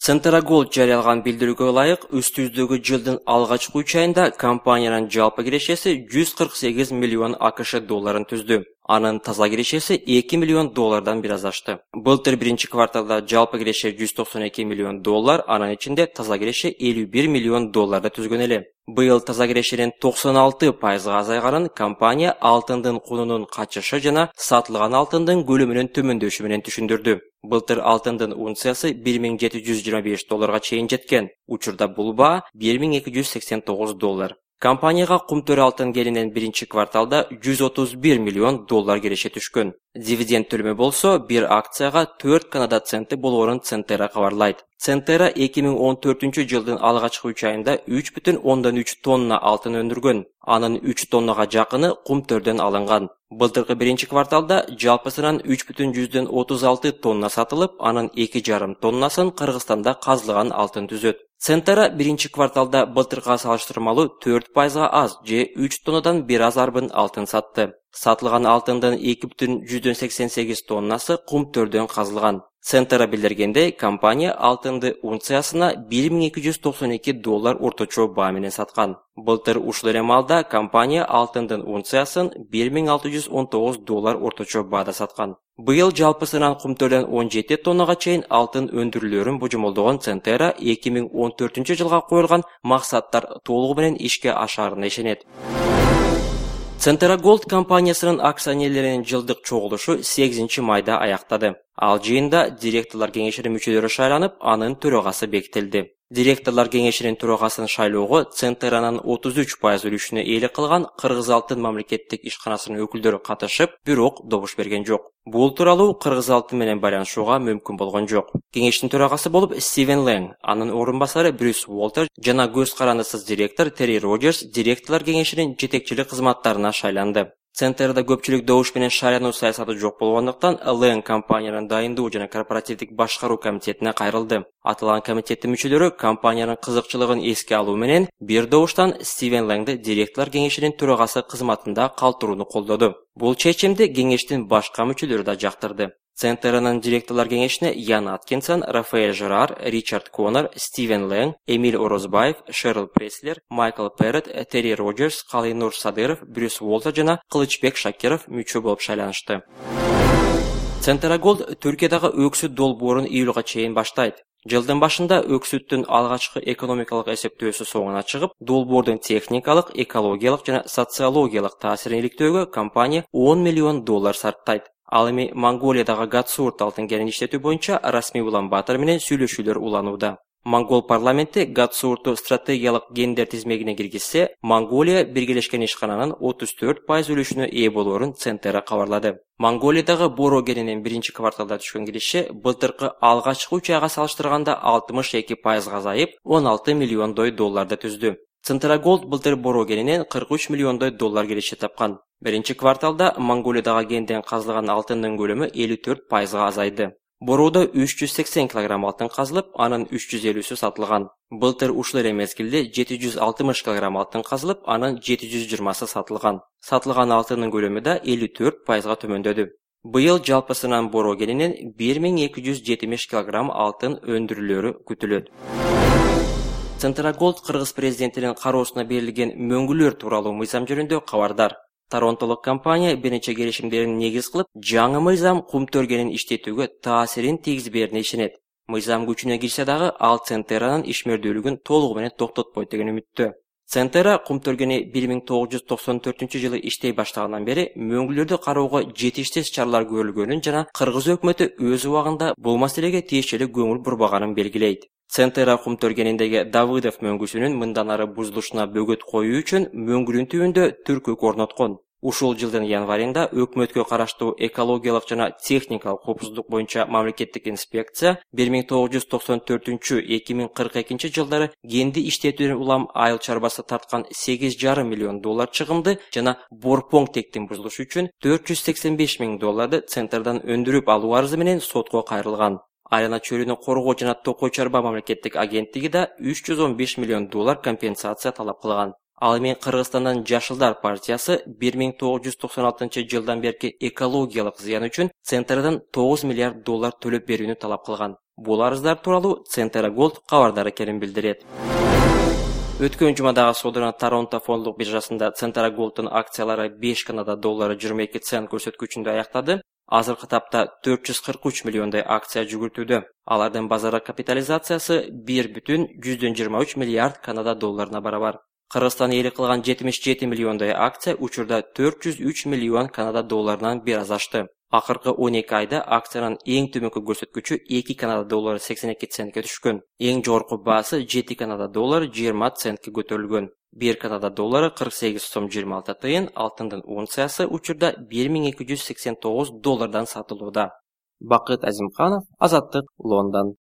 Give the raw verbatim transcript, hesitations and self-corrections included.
Centera Gold жарыялган билдирүүгө ылайык, үстүздөгү жылдын алгачкы үч айында компаниянын жалпы кирешеси жүз кырк сегиз миллион АКШ долларын түздү. Анын таза кирешеси эки миллион доллардан бир аз ашты. Былтыр биринчи кварталда жалпы киреше жүз токсон эки миллион доллар, анын ичинде таза киреше элүү бир миллион долларды түзгөн эле. Быйыл таза кирешенин токсон алты пайызга азайганын компания алтындын кунунун качышы жана сатылган алтындын көлөмүнүн төмөндөшү менен түшүндүрдү. Былтыр алтындын унциясы бир миң жети жүз жыйырма беш долларга чейин жеткен. Учурда бул баа бир миң эки жүз сексен тогуз доллар. Компанияга кумтөр алтын келинен биринчи кварталда жүз отуз бир миллион доллар киреше түшкөн. Дивиденд төлөмү болсо бир акцияга төрт Канада центи болоорун Centera кабарлайт. Centera эки миң он төртүнчү жылдын алгачкы үч айында үч бүтүн ондон үч тонна алтын өндүргөн. Анын үч тоннага жакыны кумтөрдөн алынган. Былтыркы биринчи кварталда жалпысынан үч бүтүн жүздөн отуз алты тонна сатылып, анын эки жарым тоннасын Кыргызстанда казылган алтын түзөт. Centera биринчи кварталда былтыркыга салыштырмалуу төрт пайызга аз же үч тоннадан бир аз арбын алтын сатты. Сатылган алтындын эки бүтүн жүздөн сексен сегиз тоннасы кумтөрдөн казылган. Centera билдиргендей, компания алтынды унциясына бир миң эки жүз токсон эки доллар орточо баа менен саткан. Былтыр ушул эле маалда компания алтындын унциясын бир миң алты жүз он тогуз доллар орточо баада саткан. Быйыл жалпысынан кумтөрдөн он жети тоннага чейин алтын өндүрүлөрүн божомолдогон Centera эки миң он төртүнчү жылга коюлган максаттар толугу менен ишке ашаарына ишенет. Centera Gold компаниясынын акционерлеринин жылдык чогулушу сегизинчи майда аяктады. Ал жыйында директорлор кеңешинин мүчөлөрү шайланып, анын төрагасы бекитилди. Директорлор кеңешинин төрагасын шайлоого Centera'нын отуз үч пайыз үлүшүнө ээлик кылган Кыргыз алтын мамлекеттик ишканасынын өкүлдөрү катышып, бирок добуш берген жок. Бул тууралуу Кыргыз алтын менен байланышууга мүмкүн болгон жок. Кеңештин төрагасы болуп Стивен Лэнг, анын орун басары Брюс Уолтер жана көз карандысыз директор Терри Роджерс директорлор кеңешинин жетекчилик кызматтарына шайланды. Centera'да көпчүлүк добуш менен шайлануу саясаты жок болгондуктан Лэнг компаниянын дайындоо жана корпоративдик башкаруу комитетине кайрылды. Аталган комитеттин мүчөлөрү компаниянын кызыкчылыгын эске алуу менен бир добуштан Стивен Лэнгди директорлор кеңешинин төрагасы кызматында калтырууну колдоду. Бул чечимди кеңештин башка мүчөлөрү да жактырды. Centera'нын директорлор кеңешине Ян Аткинсон, Рафаэль Жерар, Ричард Коннор, Стивен Лэнг, Эмиль Орозбаев, Шерл Преслер, Майкл Перрет, Терри Роджерс, Калинур Садыров, Брюс Уолтер жана Кылычбек Шакиров мүчө болуп шайланышты. Centera Gold Түркиядагы өксүт долбоорун июлга чейин баштайт. Жылдын башында өксүттүн алгачкы экономикалык эсептөөсү соңуна чыгып, долбоордун техникалык, экологиялык жана социологиялык таасирин иликтөөгө компания он миллион доллар сарптайт. Ал эми Монголиядагы Гатсуурт алтын кенин иштетүү боюнча Расмий Улан-Батор менен сүйлөшүүлөр уланууда. Монгол парламенти Гатсуурту стратегиялык гендер тизмегине киргизсе, Монголия Биргелешкен ишкананын отуз төрт пайыз үлүшүнө ээ болоорун Centera кабарлады. Монголиядагы Боро кенинин биринчи кварталда түшкөн киреше былтыркы алгачкы үч айга салыштырганда алтымыш эки пайызга азайып, он алты миллиондой долларды түздү. Centera Gold былтыр Боро кенинен кырк үч миллиондой доллар киреше тапкан. Биринчи кварталда Монголиядагы кенден казылган алтындын көлөмү элүү төрт пайызга азайды. Бороодо үч жүз сексен килограмм алтын казылып, анын үч жүз элүүсү сатылган. Былтыр ушул эле мезгилде жети жүз алтымыш килограмм алтын казылып, анын жети жүз жыйырмасы сатылган. Сатылган алтындын көлөмү да элүү төрт пайызга төмөндөдү. Быйыл жалпысынан Боро кенинен бир миң эки жүз жетимиш килограмм алтын өндүрүлөрү күтүлөт. Centera Gold Кыргыз президентинин кароосуна берилген мөңгүлөр тууралуу мыйзам жөнүндө кабардар. Торонтолук компания бир нече келишимдерин негиз кылып, жаңы мыйзам кумтөр кенин иштетүүгө таасирин тийгизбээрине ишенет. Мыйзам күчүнө кирсе дагы ал Centera'нын ишмердүүлүгүн толугу менен токтотпойт деген үмүттө. Centera кумтөр кени бир миң тогуз жүз токсон төртүнчү жылы иштей баштагандан бери мөңгүлөрдү кароого жетиштес чаралар көрүлгөнүн жана Кыргыз өкмөтү өз убагында бул маселеге тиешелик көңүл бурбаганын белгилейт. Centera кумтөр кениндеги Давыдов мөңгүсүнүн мындан ары бузулушуна бөгөт коюу үчүн мөңгүлүн түбүндө түркүк орноткон. Ушул жылдын январында өкмөткө караштуу экологиялык жана техникалык коопсуздук боюнча мамлекеттик инспекция бир миң тогуз жүз токсон төртүнчү — эки миң кырк экинчи жылдары кенди иштетүүдөн улам айыл чарбасы тарткан сегиз жарым миллион доллар чыгымды жана борпоң тектин бузулушу үчүн төрт жүз сексен беш миң долларды Centera'дан өндүрүп алуу арызы менен сотко кайрылган. Айрана чөлүнү коргоо жана токой чарба мамлекеттик агенттиги да үч жүз он беш миллион доллар компенсация талап кылган. Ал эми Кыргызстандан Жашылдар партиясы бир миң тогуз жүз токсон алтынчы жылдан берки экологиялык зыян үчүн Centera'дан тогуз миллиард доллар төлөп берүүнү талап кылган. Бул арыздар тууралуу Центра Голд кабардары экенин билдирет. Өткөн жумадагы содуран Торонто фонддук биржасында Центра Голдтун акциялары беш Канада доллары жыйырма эки цент көрсөткүчүндө аяктады. Азыркы тапта төрт жүз кырк үч миллиондой акция жүгүртүүдө. Алардын базар капитализациясы бир бүтүн жүздөн жыйырма үч миллиард Канада долларына барабар. Кыргызстан ээлик кылган жетимиш жети миллиондой акция учурда төрт жүз үч миллион Канада долларынан бир аз ашты. Акыркы он эки айда акциянын эң төмөнкү көрсөткүчү эки Канада доллары сексен эки центке түшкөн. Эң жогорку баасы жети Канада доллары жыйырма центке көтөрүлгөн. бир Канада доллары кырк сегиз сом жыйырма алты тыйын, алтындын унциясы учурда бир миң эки жүз сексен тогуз доллардан сатылууда. Бакыт Азимканов, Азаттык, Лондон.